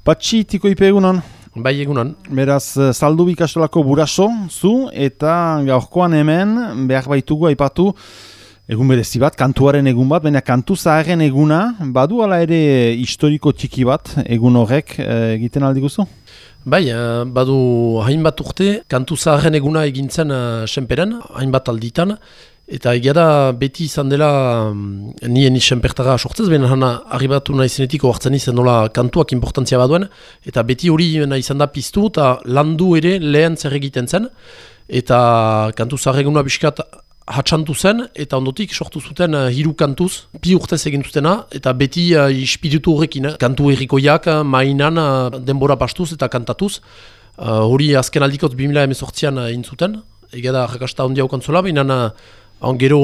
Patxi, tiko ipe egunon? Bai, egunon. Beraz, Zaldubi ikastolako buraso, zu, eta gaurkoan hemen, behar baitugu aipatu, egun berezi bat, kantuaren egun bat, baina kantu zaharren eguna, badu ala ere historiko txiki bat, egun horrek egiten aldi guzu? Bai, badu hainbat urte, kantu zaharren eguna egintzen senperen, hainbat alditan, eta egia da beti izan dela nien senpertara sortzez, baina arribatu nahi zenetik oartzen izan nola kantuak importantzia baduen, eta beti hori nahi izan da piztu, eta landu ere lehen zer egiten zen, eta kantu zaharren eguna biskat hatsantu zen, eta ondotik sortu zuten hiru kantuz, bi urtez egin zutena, eta beti ispiritu horrekin, kantu herrikoiak, mainan, denbora pastuz eta kantatuz. Hori azken aldikot 2018an egin zuten, egia da jakasta ondia okantzola, baina gero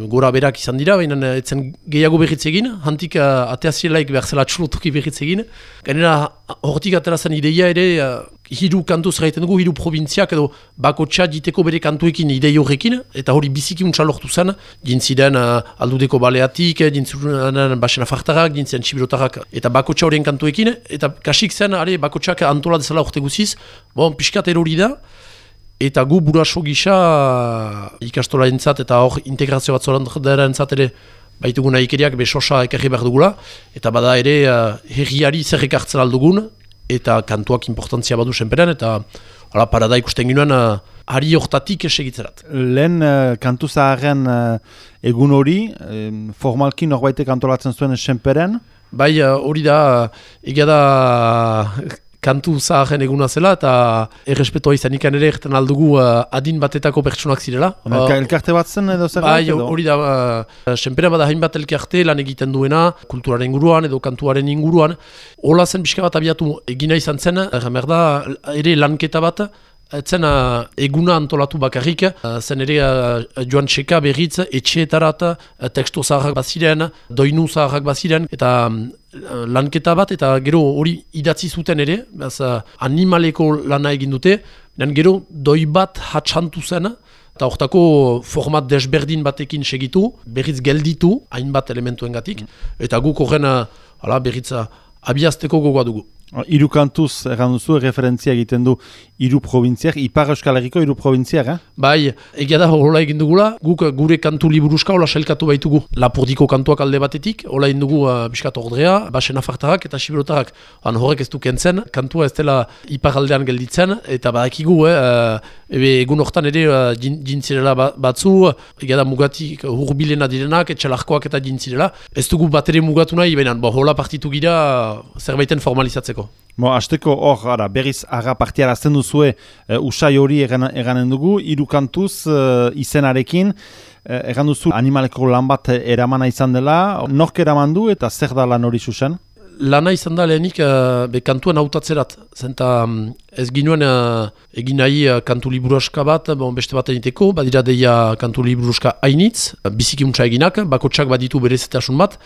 gora berak izan dira, baina etzen gehiago berritz egin, hantik ateazielaik behar zela txulotuki berritz egin. Gainera, hortik atera zen ideia ere, hiru kantuz gaiten dugu, hiru provintziak edo bakotxa diteko bere kantuekin idei horrekin, eta hori biziki untsa lortu zen, jintziren aldudeko baleatik, jintziren basen afartarak, jintziren txibirotarak, eta bakotxa horien kantuekin, eta kasik zen, bakotxak antola dezala urte guziz, pixkat erori da, eta gu buraso gisa ikastola entzat eta hor integrazio bat zoran entzat ere baitugu nahikeriak besosa ekarri behar dugula, eta bada ere herriari zer ekartzen aldugun, eta kantuak importantzia badu senperen, eta parada ikusten ginoen hari hortatik segitzerat. Lehen kantu zaharren egun hori, formalki norbaitek antolatzen zuen senperen? Bai, hori da, egia da kantu zaharren eguna zela, eta errespetoa izan ikan ere erten aldugu adin batetako pertsonak zirela. Elkarte bat zen edo zer? Bai, hori da, senpera bada hainbat elkarte lan egiten duena, kulturaren inguruan edo kantuaren inguruan. Hola zen pixka bat abiatu egina izan zen, merda ere lanketa bat, etzen eguna antolatu bakarrik, zen ere joan txeka berriz, etxeetarat, teksto zaharrak baziren, doinu zaharrak baziren, eta lanketa bat, eta gero hori idatzi zuten ere, animaleko lana egin dute, gero doi bat hatsantu zen, eta hortako format desberdin batekin segitu, berriz gelditu, hainbat elementuengatik, eta guk horren berriz abiazteko gogoa dugu. Hiru kantuz erran duzu, referentzia egiten du hiru provintziak, Ipar Euskal Herriko hiru provintziak, Bai, egia da hola egin dugula, guk gure kantu liburuska hola sailkatu baitugu. Lapurdiko kantuak alde batetik, hola egin dugu biskat ordrea, basen afartarak eta sibirotarak. Horrek ez du kentzen, kantua ez dela Ipar aldean gelditzen, eta badakigu, egun hortan ere jintzirela batzu, egia da mugatik hurbilena direnak, etxalarkoak eta jintzirela. Ez dugu bat ere mugatu nahi, baina hola partitu gira zerbaiten formalizatzeko. Azteko hor, berriz aga partiara azten duzue usai hori eganen dugu, hiru kantuz izenarekin, egan duzu animaleko lan bat eramana izan dela, nork eraman du eta zer da lan hori zuzen? Lana izan da lehenik kantuan hautatzerat, zenta ez ginuen egin nahi kantu liburuska bat, beste bat egiteko, badira deia kantu liburuska hainitz, biziki untsa eginak, bakotsak baditu berezetasun bat,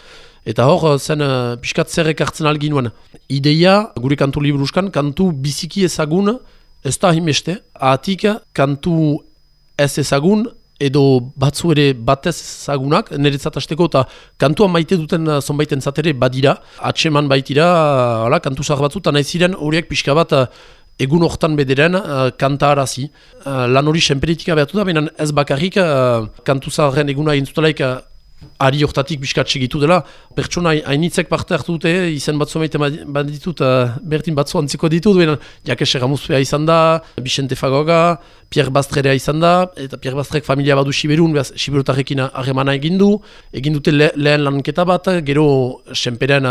eta hor zen pixkat zer ekartzen alginuen. Ideia, gure kantu liburuskan, kantu biziki ezagun, ez da himeste, ahatik kantu ez ezagun, edo batzu ere batez ezagunak, niretzat hasteko, eta kantua maite duten zonbaiten zatere badira, atseman baitira, kantu zahar batzu, eta nahi ziren horiek pixka bat egun hortan bederen kanta arazi. Lan hori senperetika behatu da, baina ez bakarrik kantu zaharren eguna egin zutelaik ari hortatik biskat segitu dela. Pertsona hainitzek parte hartu dute, izen batzu maite baditut, bertin batzu antziko ditut, baina Jakes Erramuzpea izan da, Vicente Fagoga, Pierre Bastrerea izan da, eta Pierre Bastrek familia badu Siberun, Siberotarrekin harremana egin dute lehen lanketa bat, gero senperen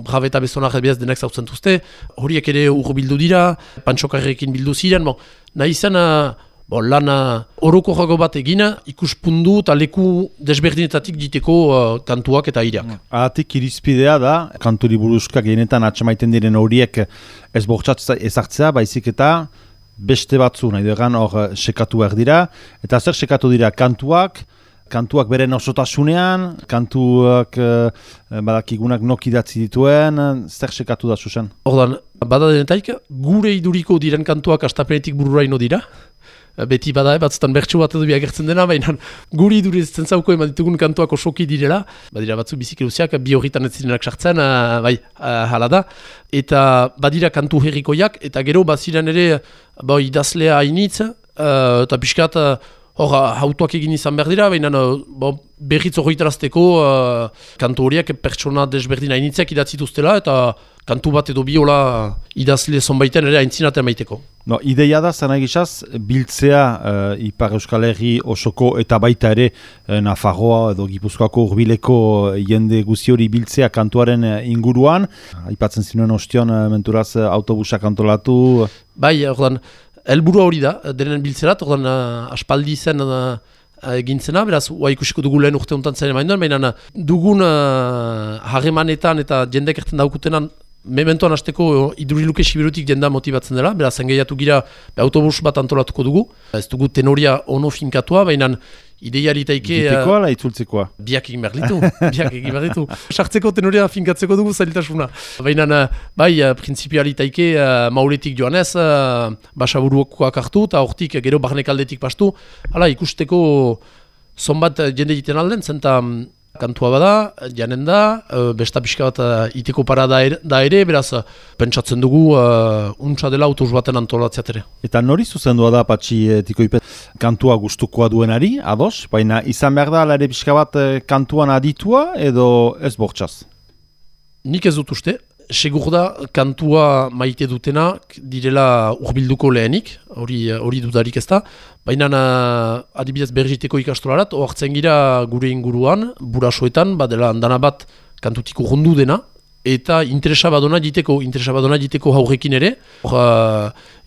Brabe eta Bezonar ebiaz denek zautzen duzte, horiek ere urbildu dira, Pantxokarrekin bildu ziren, nahi izan lan orokorrago bat egina, ikuspundu eta leku desberdinetatik diteko kantuak eta aireak. Ahatik irizpidea da, kantu liburuskak gehienetan atxamaiten diren horiek ez bortxatza ezartzea, baizik eta beste batzu, nahi duegan hor sekatu behar dira, eta zer sekatu dira kantuak beren osotasunean, kantuak badakigunak nok idatzi dituen, zer sekatu da zuzen? Ordan, bada denetaik, gure iduriko diren kantuak astapenetik bururaino dira, beti bada, batzutan bertsu bat edo biagertzen dena, baina guri durezen zauko eman ditugun kantuak osoki direla, badira batzu bizikeluziak, bi horritan ez zirenak sartzen, hala da, eta badira kantu herrikoiak, eta gero baziren ere idazlea hainitz, eta pixkat, hor, hautuak egin izan behar dira, baina berriz horretarazteko kantu horiek pertsona desberdin hainitzak idatzituztela, eta kantu bat edo biola idazle zonbaiten ere aintzinaten maiteko. No, ideia da, zena egizaz, biltzea Ipar Euskal Herri osoko eta baita ere Nafarroa edo Gipuzkoako hurbileko jende guzi hori biltzea kantuaren inguruan. Aipatzen zinuen ostion menturaz autobusak antolatu. Bai, ordan, helburua hori da, denen biltzerat, ordan aspaldi zen egintzena, beraz, ikusiko dugu lehen urte honetan zen emain baina dugun harremanetan eta jendek erten daukutenan mementoan hasteko iduriluke siberutik jenda motibatzen dela, beraz, engaiatu gira autobus bat antolatuko dugu. Ez dugu tenoria ono finkatua, baina ideiari taike... Gitekoa ala itzultzekoa? Biak egin behar ditu. Sartzeko tenoria finkatzeko dugu zailtasuna. Baina, bai, prinsipiari taike mauletik joanez, basaburukoak hartu, eta hortik gero barnekaldetik pastu. Hala, ikusteko zonbat jende egiten alden, zenta... Kantua bada, janen da, besta pixka bat iteko para da ere, beraz, pentsatzen dugu untsa dela autobus baten antolatzeat ere. Eta nori zuzendua da, Patxi Tikoipet, kantua gustukoa duenari, ados? Baina izan behar da, ala ere pixka bat kantuan aditua edo ez bortxaz? Nik ez dut uste. Segur da, kantua maite dutenak direla urbilduko lehenik, hori dudarik ez da. Baina adibidez berriteko ikastolarat, oartzen gira gure inguruan, burasoetan, badela handana bat kantutiko urrundu dena, eta interesa badona jiteko haurrekin ere.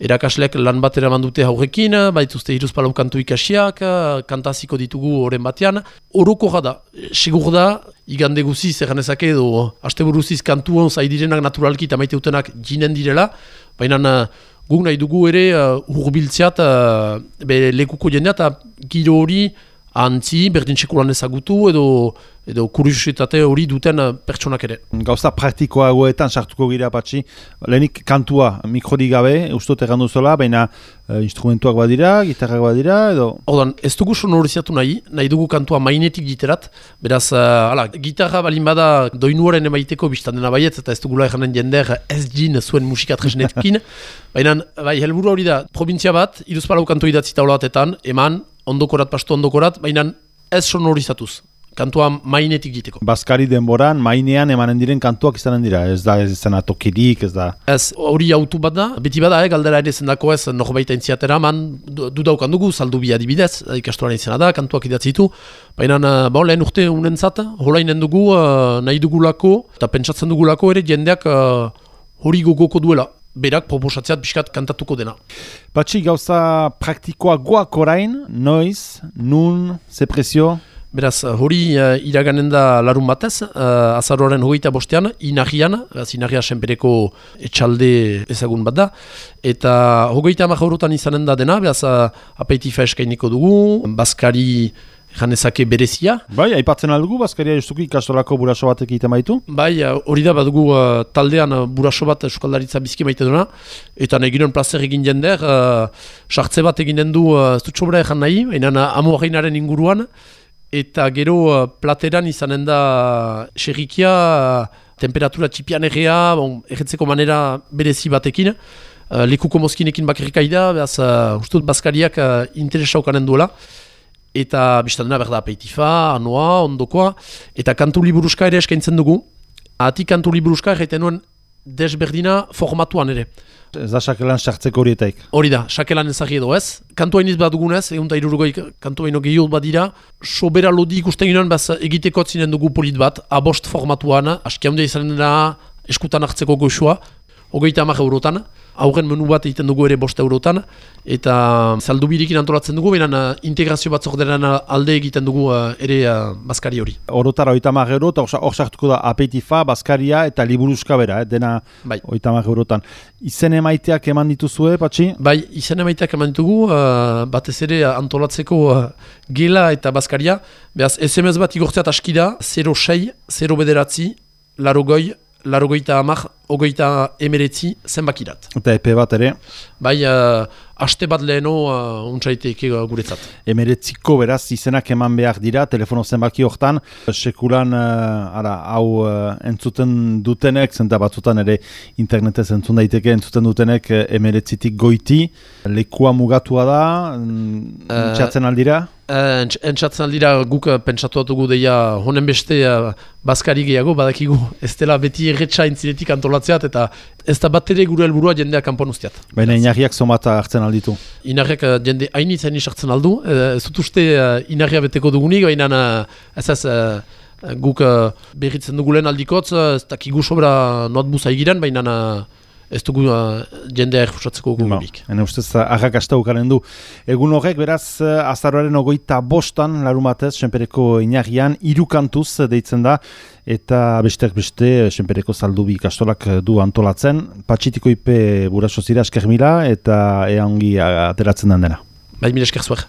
Erakasleak lan bat eraman dute haurrekin, baituzte hiruzpalau kantu ikasiak, kantaziko ditugu oren batean. Oroko da, segur da, igande guziz eganezake edo asteburuziz kantuan zaidirenak naturalki eta maite utenak jinen direla, baina guk nahi dugu ere hurbiltzeat lekuko jendea eta giro hori antzi, berdin sekulan ezagutu edo kuriositate hori duten pertsonak ere. Gauza praktikoagoetan sartuko gira, Patxi. Lehenik kantua mikrodik gabe, ustot errandu zola, baina instrumentuak badira, gitarrak badira, edo... Ordan, ez dugu sonoriziatu nahi dugu kantua mainetik giterat, beraz, gitarra balin bada doinuaren emaiteko biztan dena baiet, eta ez dugula erranen jender ez jin zuen musika tresnetkin, baina, helburu hori da, provintzia bat, hiruzpalau kantu idatzi taula batetan, eman, ondokorat, pastu ondokorat, baina ez sonorizatuz. Kantua mainetik giteko. Baskari denboran, mainean emanen diren kantuak izanen dira, ez da izena tokirik, ez da... Ez, hori autu bat da, beti bada, galdera ere zendako ez, norbaita entziatera, dudaukan dugu, saldu bi adibidez, ikastoran izena da, kantuak idatzitu, baina, lehen urte unentzat, holainen dugu, nahi dugulako, eta pentsatzen dugulako ere, jendeak hori gogoko duela. Berak proposatzeat pixkat kantatuko dena. Patxi, gauza praktikoa goak orain, noiz, nun, ze prezio? Beraz, hori iraganen da larun batez, azaroaren 25an, Inarrian, Inarria senpereko etxalde ezagun bat da, eta 30 eurotan izanen da dena, beraz, apeitifa eskainiko dugu, Baskari janezake berezia. Bai, aipatzen aldugu, Baskaria justuki ikastolako buraso batek egiten baitu? Bai, hori da, badugu taldean buraso bat eskaldaritza bizki maite duna, eta nahi ginen plazer egin jender, sartze bat eginen du, ez dut sobra egan nahi, baina amuaginaren inguruan, eta gero plateran izanen da xerrikia, temperatura txipian errea, erretzeko manera berezi batekin, lekuko mozkinekin bakarrikai da, behaz, ustut Baskariak interesa ukanen duela, eta biztan dena berda apeitifa, anoa, ondokoa, eta kantu liburuska ere eskaintzen dugu. Ati kantu liburuska erraiten nuen desberdina formatuan ere. Ez da sakelan sartzeko horietaik? Hori da, sakelan ezagri edo ez. Kantu hainiz bat dugunez, egun eta irurgoi kantu haino gehiago bat dira, sobera lodi ikusten ginoen, egiteko atzinen dugu polit bat, abost formatuan, aski handia izanen dena eskutan hartzeko goxua, 30 eurotan, aurren menu bat egiten dugu ere 5 eurotan, eta zaldubirikin antolatzen dugu, baina integrazio bat zorderan alde egiten dugu ere Baskari hori. Orotara 30 euro, eta hor sartuko da apeitifa, Baskaria eta liburuzka bera, dena bai. 30 eurotan. Izen emaiteak eman dituzue, Patxi? Bai, izen emaiteak eman ditugu, batez ere antolatzeko gela eta Baskaria, behaz SMS bat igortzeat aski da, 06, 0 bederatzi, 80, 80 29 zenbakirat. Eta epe bat ere. Bai, aste bat leheno untsaiteke guretzat. 19ko beraz izenak eman behar dira, telefono zenbaki hortan, sekulan hau entzuten dutenek, zenta batzutan ere internetez entzun daiteke entzuten dutenek 19tik goiti, lekua mugatua da, txatzen aldira? Entzatzen aldira guk pentsatu dugu deia honen beste bazkari gehiago, badakigu ez dela beti erretxa intzinetik antolatzeat eta ez da bat ere gure helburua jendeak kanpon usteat. Baina inarriak zomat hartzen alditu? Inarriak jende hainitz hartzen aldu, ez dut uste inarria beteko dugunik, baina ez guk berritzen dugu lehen aldikotz, ez dakigu sobra notbuza egiran, baina ez dugu jendea erfusatzeko gugurik. Hene ustez, arrakasta ukaren du. Egun horrek, beraz, azaroaren 25 larumatez, Senpereko inarrian, 3 kantuz deitzen da, eta besteak beste, Senpereko zaldubi ikastolak du antolatzen. Patxitiko ipe buraso zira esker mila, eta ea ongi ateratzen den dena. Bai, mila esker zuer.